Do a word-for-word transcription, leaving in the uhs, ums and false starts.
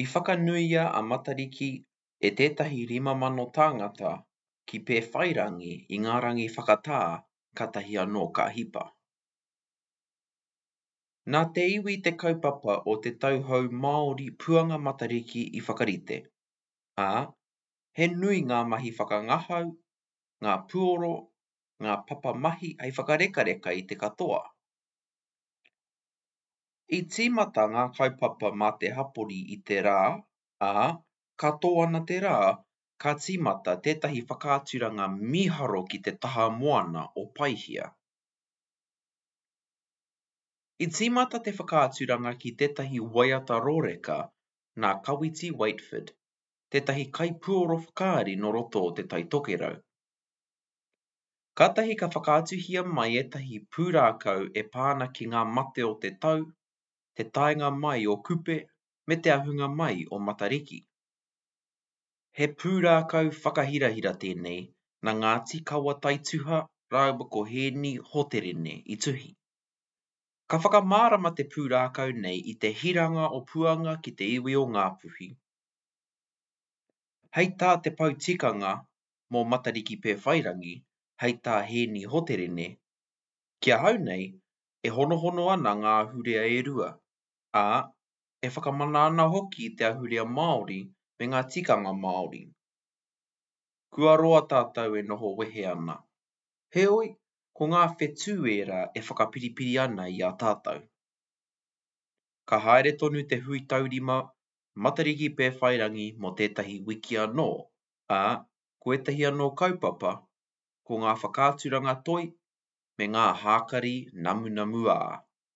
I whakanuia a Matariki e tētahi rima mano tāngata ki Pēwhairangi i ngā rangi whakatā kātahi anō ka hipa. Nā te iwi te kaupapa o te Tau Hou Māori Puanga Matariki i whakarite, ā, he nui ngā mahi whakangahau, ngā puoro, ngā papa mahi hei whakarekareka i te katoa. I tīmata ngā kaupapa mā te hapori i te rā, ā, ka tō ana te rā, ka tīmata tētahi whakaaturanga mīharo ki te taha moana o Paihia. I tīmata te whakaaturanga ki tētahi waiata rōreka nā Kawiti Waetford, tētahi kaipuoro whakaari nō roto o Te Tai Tokerau. Kātahi ka whakaatuhia mai ētahi pūrākau e pā ana ki ngā mate o te tau, te taenga mai o Kupe me te ahunga mai o Matariki. He pūrākau whakahirahira tēnei nā Ngāti Kawa Taituha rāua ko Hēni Hoterene i tuhi. Ka whakamārama te pūrākau nei i te hiranga o Puanga ki te iwi o Ngāpuhi. Hei tā te pou tikanga mō Matariki Pēwhairangi, hei tā Hēni Hoterene, Ki ahau nei, e honohono ana ngā ahurea e rua, ā, e whakamana ana hoki i te ahurea Māori me ngā tikanga Māori. Kua roa tātou e noho wehe ana. Heoi, ko ngā whetū ērā e whakapiripiri ana i a tātou. Ka haere tonu te hui taurima Matariki Pēwhairangi mō tētahi wiki anō, ā, ko ētahi anō kaupapa, ko ngā whakaaturanga toi me ngā hākari namunamuā.